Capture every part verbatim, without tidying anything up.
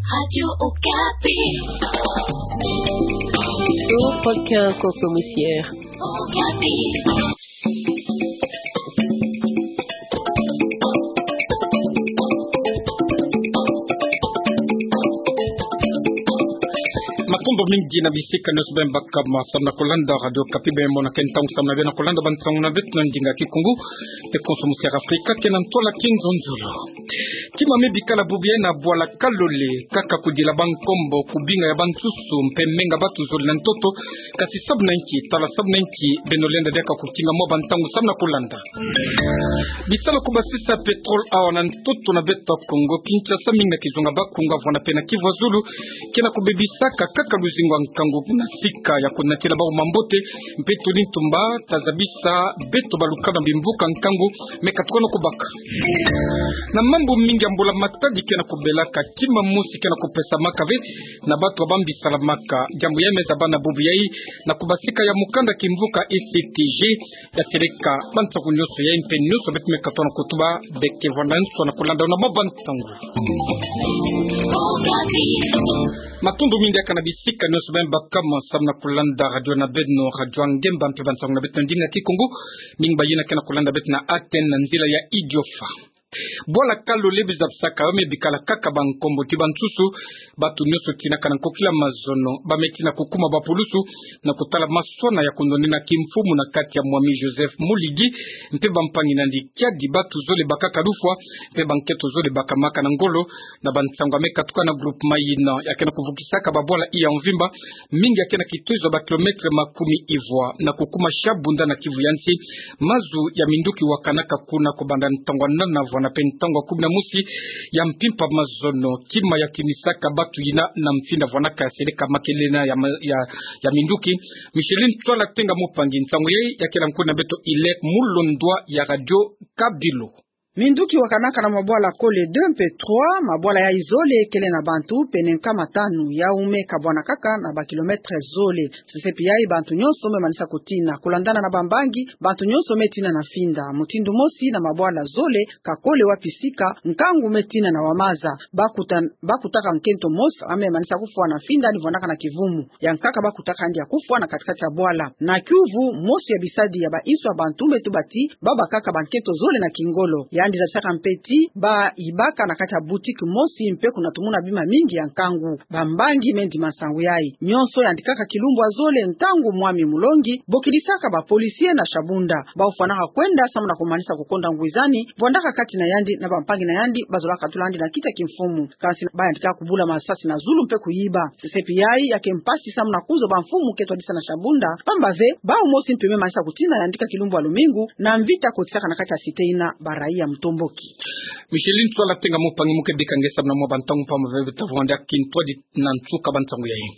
Radio Okapi. Au prochain Kongo Moussière. Okapi. Matondo mingi na bisika nyonso beno baka samu na kulanda Radio Okapi, beno mona ke ntangu samu na beno kulanda bansangu na beto na ndinga Kikongo, mpe Kongo Moussière Afrika, ke na ntwala Kinzonzolo. Kima me bikala bubu yayi na bwala Kalole, kaka kudila bankombo, kubinga ya bansusu, mpe menga batu zole na ntoto, kasi samu na nki, tala samu na nki, beno lenda diaka kukinga mwa bantangu samu na kulanda. Bisalu ya kubasisa pétrole awa na ntoto na beto Kongo Kinshasa, mingi na kizunga Bakongo, Mvwanda mpe na Kivu ya Zulu, ke na kubebisaka kaka luzingu ya nkangu na sika ya kunatila bau mambote, mpe tuli ntumba ta zabisa beto balukanu ya bimvuka nkangu me katukana kubaka. Na mambu mingi ya mbula matadi ke na kubelaka, kima mosi ke na kupesamaka ve na batu ya bambi salamaka. Diambu yayi me zabana bubu yayi na kubasika ya mukanda kimvuka E C T G, ya seleka bansangu nyonso yayi mpe nyonso beto me katukana kutuba, beke vwanda nso na kulanda na mwa bansangu. Matondo mingi diaka na bisika nyonso beno baka samu na kulanda radio na beno, Radio Ngemba, mpe bansangu na beto na ndinga Kikongo. Mingi bayina ke na kulanda beto na antenne na nzila ya Idiofa. Bwala Kalole, biza bisaka yo me bikala kaka bankombo ti bansusu, batu nyonso tinaka na nkokila mazono, ba me tina kukuma bapulusu, na kutala maswana ya kunonina kimfumu na kati ya mwami Joseph Muligi, mpe bampangi na yandi kiadi, batu zole bakaka lufwa, mpe banketo zole bakamaka na ngolo, na bansangu ya me katuka na groupement yina, ya ke na kuvukisaka babwala ya mvimba, mingi ya ke na kitozo ya ba kilomètre makumi ivwa, na kukuma Shabunda na Kivu ya nsi. Mazu ya minduki wakanaka kuna kubanda ntangu ya nana vwanda mpe ntangu ya kumi na mosi ya mpimpa mazono, kima ya kinisaka batu yina na mfinda vwanaka ya seleka makelele ya ma-, ya, ya minduki. Micheline Tswala Tenga Mupangi, nsangu yayi ya kela nkuna beto Ilek Mulondwa ya Radio Kabilo. Minduki wakanaka na mabwala Kole deux mpe trois, mabwala yayi zole kele na bantu pene nkama tanu, yau me kabwana kaka na ba kilomètre zole. Sesepi yayi bantu nyonso me manisa kutina. Kulandana na bambangi, bantu nyonso me tina na mfinda. Mutindu mosi na mabwala zole, ka kole wapi sika, nkangu me tina na wamaza. Bakuta-, bakutaka nkento mosi, ya me manisa kufwa na mfinda, ni vwandaka na kivumu. Ya nkaka bakutaka yandi ya kufwa na kati-kati ya bwala. Na kiuvu, mosi ya bisadi ya ba inso ya bantu me tuba ti, babakaka banketo zole na kingolo. Yandi zabisaka mpe ti, bayibaka na kati ya boutique mosi mpe kunatumuna bima mingi ya nkangu. Bambangi me ndima nsangu yayi. Nyonso yandikaka kilumbu ya zole ntangu mwami Mulongi bokilisaka ba policiers na Shabunda. Bau fwanaka kwenda samu na kumanisa kukonda ngwizani, vwandaka kati na yandi na bampangi na yandi, bazolaka tula yandi na kiti ya kimfumu. Kansi bayandika kubula masasi na zulu mpe kuyiba. Sesepi yayi ya ke mpasi samu na kuzo ba mfumu ke twadisa na Shabunda, pamba ve, bau mosi mpe me manisa kutina yandika kilumbu ya lumingu, na mvita kotisaka na kati ya cité yina, ba raia mutomboki. Micheline Tswala Tenga Mupangi, mu ke bika nge samu na mwa bantangu, pamba ve beta vwanda kintwadi na nsuka bansangu yayi.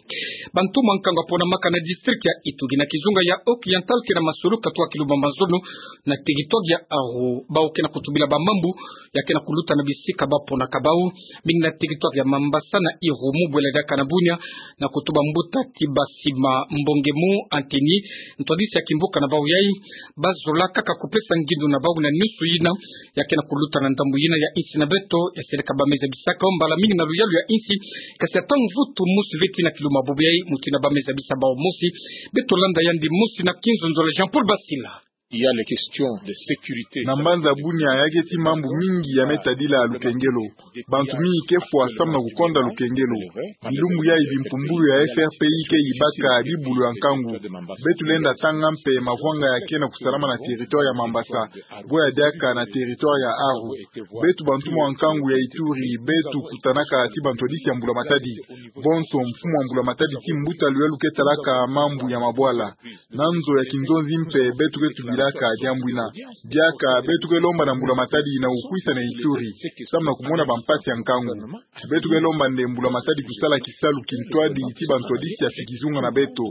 Bantu mwa nkangu ya ponamaka na district ya Ituri na kizunga ya Occidental ke na masolo katuka kilumbu ya mazono na territoire ya Aru. Bau ke na kutubila bamambu ya ke na kuluta na bisika ba ponaka bau, mingi na territoire ya Mambasa na Irumu, bwela diaka na Bunia, na kutuba mbuta ti Basima Mbongemu Anthony, ntwadisi ya kimvuka na bau yayi, bazola kaka kupesa ngindu na bau na nyonso yina ya ke na kuluta na ndambu yina ya insi na beto, ya seleka ba me zabisaka yo mbala mingi na luyalu ya insi, kasi ata mvutu mosi ve tina kilumbu ya bubu yayi, mutindu ba me zabisa bau mosi. Beto landa yandi mosi na Kinzonzolo, Jean-Paul Basila. Il y a les questions de sécurité. Na mbanza Bunia ya ke ti mambu mingi ya me tadila lukengelo. Bantu mingi ke fwa samu na kukonda lukengelo. Bilumbu yayi bimpumbulu ya F R P I ke yibaka bibulu ya nkangu. Beto lenda tanga mpe mavwanga ya ke na kusalama na territoire ya Mambasa, bwe ya diaka na territoire ya Aru. Beto bantu mwa nkangu ya Ituri, beto kutanaka ti bantwadisi ya mbula matadi. Bonso mfumu wa mbula matadi ti mbuta luyalu ke talaka mambu ya mabwala. Na nzo ya kinzonzi mpe beto ke tubilaka diambu yina. Diaka beto ke lomba na mbula matadi na kukwisa na Ituri, samu na kumona bampasi ya nkangu. Beto ke lomba nde mbula matadi kusala kisalu kintwadi ti bantwadisi ya fi kizunga na beto.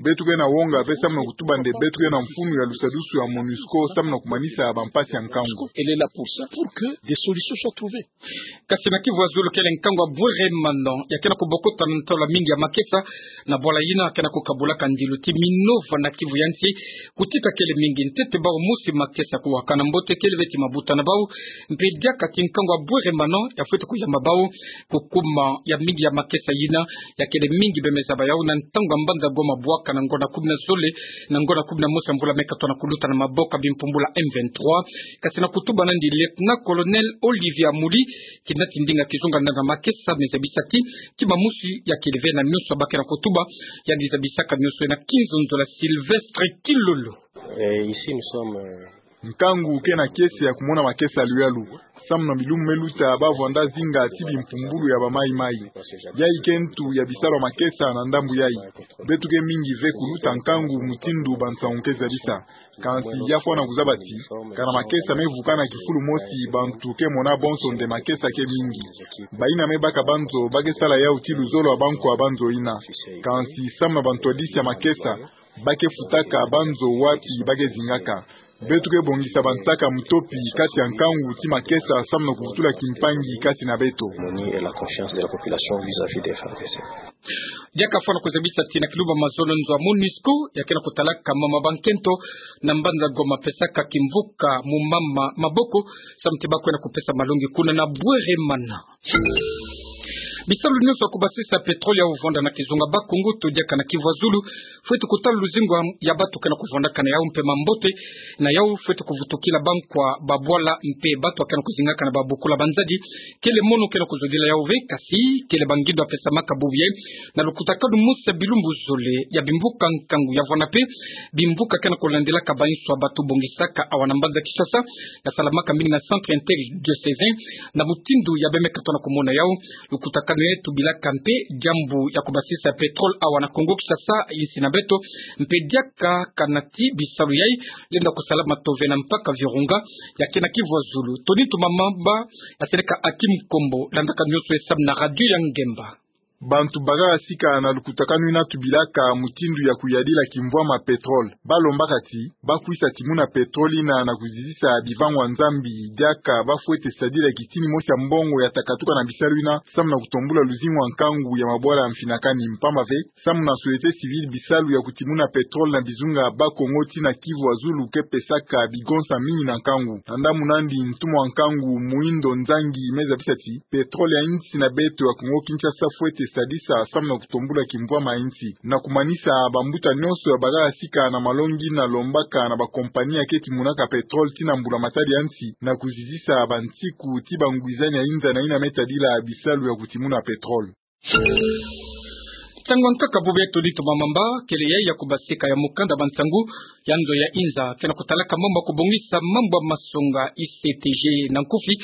Beto ke na wonga ve samu na kutuba nde beto ke na mfunu ya lusadusu ya MONUSCO samu na kumanisa bampasi ya nkangu. Elle est là pour ça, pour que des solutions soient trouvées. Kasi na Kivu ya Zulu kele nkangu ya Bweremana, ya ke na kubokota na ntwala mingi ya makesa, na bwala yina ke na kukabulaka ndilu ti Minova na Kivu ya nsi, kutika kele mingi. sete bau mosi makesa kuwakana mbote kele beti mabuta na bau. Mpe diaka ti nkangu a bweremana ya fwete kuyamba bau kukuma ya mingi ya makesa yina, ya kele mingi bemeza ba yau na ntangu a mbanza Goma bwaka na ngonda kumi na zole na ngonda kumi na mosi ya mvula me katona kuluta na maboko ya bimpumbulu ya M vingt-trois. Kasi na kutuba nandi Lieutenant-colonel Olivier Amuli, kina ti ndinga kizunga ndanga makesa, me zabisa ti kima mosi ya kele ve na nionso ba ke na kutuba, yandi zabisaka nionso na kinzonzo la Sylvestre Kilolo. Eh, ici, nous sommes, euh, Nkangu ke na kiese ya kumona makesa luyalu. Samu na bilumbu me luta, ba vwanda zinga ti bimpumbulu ya ba maimai. Yayi ke ntu ya bisalu ya makesa na ndambu yayi. Beto ke mingi ve kuluta nkangu mutindu bansangu ke zabisa. Kansi ya fwana kuzaba ti, kana makesa me vukana kifulu mosi, bantu ke mona bonso nde makesa ke mingi. Bayina me baka banzo ba ke sala yau ti luzolo ya bankwa banzo yina. Kansi samu na bantwadisi ya makesa, ba ke futaka banzo wapi ba ke zingaka. Beto ke bongisa bansaka mutopi kati ya nkangu ti makesa samu na kuvutula kimpangi kati na beto. Harmonie et la confiance de la population vis-à-vis des F A R D C. Diaka fwana kuzabisa ti na kilumbu ya mazono nzo ya MONUSCO ya ke na kutalaka mama bankento na mbanza Goma pesaka kimvuka mu mama maboko, samu ti ba kwenda kupesa malongi kuna na bweremana. Bisalu nionso ya kubasisa pétrole ya kuvwanda na kizunga Bas-Congo to diaka na Kivu ya Zulu, fwete kutala luzingu ya batu ke na kuvwandaka na yau mpe mambote na yau fwete kuvutukila bankwa, babwala mpe batu ya ke na kuzingaka na babokolo ya banzadi. Kele mono ke na kuzodila yau ve, kasi kele ba ngindo ya pesamaka bubu yayi na lukutakanu mosi ya bilumbu zole ya bimvuka nkangu ya vwanda mpe bimvuka ke na kulandilaka bainso ya batu bongisaka awa na mbanza Kinshasa, ya salamaka mingi na centre interdiocésain na mutindu ya bemeka tona kumona yau. Lukutakanu yayi tubilaka mpe diambu ya kubasisa pétrole awa na Congo Kinshasa, insi na beto, mpe diaka kana ti bisalu yayi lenda kusalama tove na mpaka Virunga ya ke na Kivu ya Zulu. Tony Ntumamamba ya seleka Hakim Kombo, landaka nionso ye samu na radio ya Ngemba. Bantu bakaka sika na lukutakanu yina tubilaka mutindu ya kuyadila kimvwama pétrole, ba lombaka ti ba kwisa timuna pétrole yina na kuzizisa bivangu ya Nzambi, diaka ba fwete sadila kitini mosi ya mbongo ya takatuka na bisalu yina, samu na kutombula luzingu ya nkangu ya mabwala ya mfinakani. Mpamba ve, samu na société civile, bisalu ya kutimuna pétrole na bizunga Bas-Congo tii na Kivu ya Zulu ke pesaka bigonsa mingi na nkangu. Na ndambu nandi, ntumwa ya nkangu Muhindo Nzangi me zabisa ti pétrole ya insi na beto ya Congo Kinshasa fwete sadisa samu na kutombula kimvwama ya insi. Na kumanisa, bambuta nionso ya bakaka sika na malongi yina lombaka na bakompani ya ke timunaka pétrole tii na mbula matadi ya nsi na kuzizisa bansiku ti bangwizani ya inza na yina me tadila bisalu ya kutimuna pétrole. Nsangu ya nkaka bubu ya Tony Ntumamamba, kele yayi ya kubasika ya mukanda bansangu ya nzo ya inza ke na kutalaka mambu ya kubongisa mambu ya masonga, I C T G na nkufi.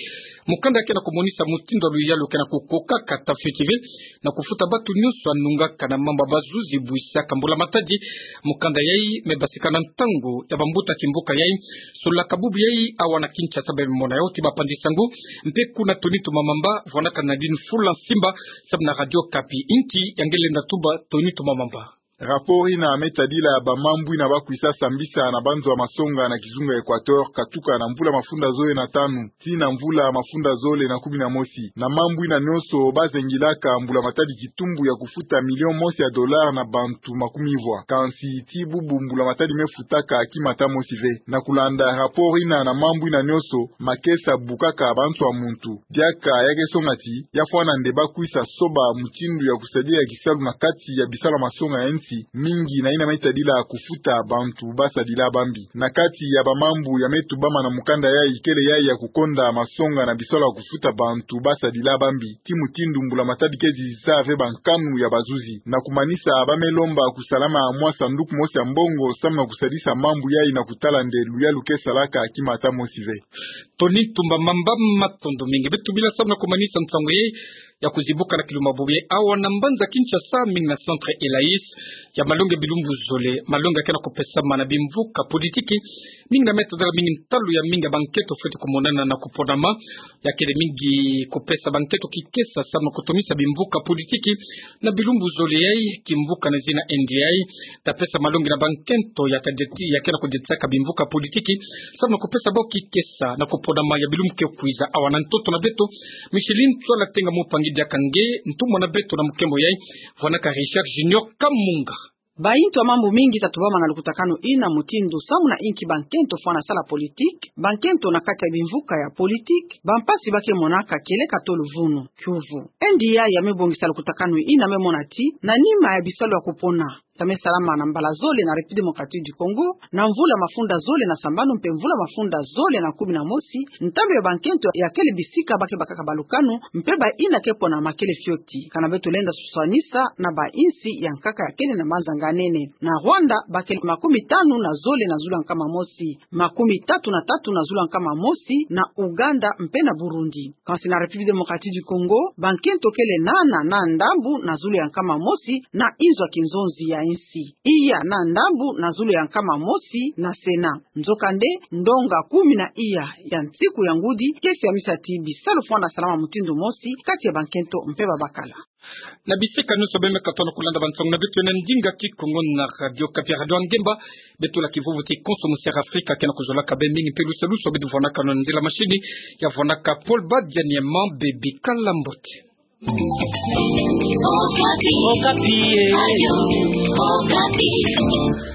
Mukanda ke na kumonisa mutindu ya luyalu ke na kukokaka, tafiti ve, na kufuta batu nionso ya nungaka na mambu ya bazuzi bwisaka mbula matadi. Mukanda yayi me basika na ntangu ya bambuta kimvuka yayi. Sololaka bubu yayi awa na Kinshasa, beno mona yau ti bapanzi nsangu. Mpe kuna Tony Ntumamamba vwandaka na Nadine Fula Nsimba, samu na Radio Okapi. Inki ya nge lenda tuba, Tony Ntumamamba? Rapport yina me tadila bamambu yina ba kwisa sambisa na banzo ya masonga na kizunga Equateur, katuka na mvula mafunda zole na tanu tii na mvula mafunda zole na kumi na mosi. Na mambu yina nionso ba zengilaka mbula matadi kitumbu ya kufuta million mosi ya dollar na bantu makumi vwa. Kansi tii bubu mbula matadi me futaka kima ata mosi ve. Na kulanda rapport yina, na mambu yina nionso, makesa bukaka banso ya muntu. Diaka ya ke songa ti ya fwana nde ba kwisa soba mutindu ya kusadila kisalu na kati ya bisalu ya masonga ya nsi, mingi na yina me tadila kufuta bantu ba sadila bambi. Na kati ya bamambu ya me tubama na mukanda yayi, kele yayi ya kukonda masonga na bisalu ya kufuta bantu ba sadila bambi, ti mutindu mbula matadi ke zizisa ve bankanu ya bazuzi. Na kumanisa, ba me lomba kusalama mwa sanduku mosi ya mbongo samu na kusadisa mambu yayi na kutala nde luyalu ke salaka kima ata mosi ve. Tony Ntumamamba, matondo mingi. Beto bila samu na kumanisa nsangu yayi ya kuzibuka na kilumbu bubu yayi awa na mbanza Kinshasa, mingi na centre Elaïs, ya malongi ya bilumbu zole, malongi ya ke na kupesamana na bimvuka politiki. Mingi na me tadila mingi ntalu ya mingi ya bankento fwete kumonana na kuponama, ya kele mingi kupesa bankento kikesa samu na kutumisa bimvuka politiki na bilumbu zole yayi. Kimvuka na zina N D I ta pesa malongi na bankento ya ta deti-, ya ke na kudetisaka bimvuka politiki samu na kupesa bau kikesa na kuponama ya bilumbu ke kwiza. Awa na ntoto na beto, Micheline Tswala Tenga Mupangi diaka nge ntumwa na beto, na mukembo yayi vwanaka Richard Junior Kamunga. Bainto ya mambu mingi ta tubama na lukutakanu ina, mutindu samu na inki bankento fwana sala politique, bankento na kati ya bimvuka ya politique, bampasi ba ke monaka kele ka tolo vunu. Kiuvu, NDI ya me bongisa lukutakanu ina me mona ti, na nima ya bisalu ya kupona ya me salama na mbala zole na République Démocratique du Congo, na mvula mafunda zole na sambanu mpe mvula mafunda zole na kumi na mosi, ntandu ya bankento ya kele bisika ba ke bakaka balukanu, mpe baina ke pona ma kele fioti. Kana beto lenda suswanisa na bainsi ya nkaka ya kele na manza nganene. Na Rwanda, ba kele makumi tanu na zole na zulu ya nkama mosi, makumi tatu na tatu na zulu ya nkama mosi, na Ouganda mpe na Burundi. Kansi na République Démocratique du Congo, bankento kele nana na ndambu na zulu ya nkama mosi na inzo ya kinzonzi ya insi, iya na ndambu na zulu ya nkama mosi na Sénat. Nzokande, ndonga kumi na iya ya nsiku ya ngudi ke siamisa ti bisalu fwana salama mutindu mosi kati ya bankento mpe babakala. Na bisika nyonso beno me katuka na kulanda bansoni na beto ya ndinga Kikongo na Radio Okapi, Radio Ngemba. Beto la kivuvu ti konso musi ya Afrika ke na kuzolaka beno mingi mpe lusalusu beto vwanakano na nzila machine ya vwanaka Paul Badianiema. Beno bikala mbote. Okapi. Okapi, eh. Radio Okapi.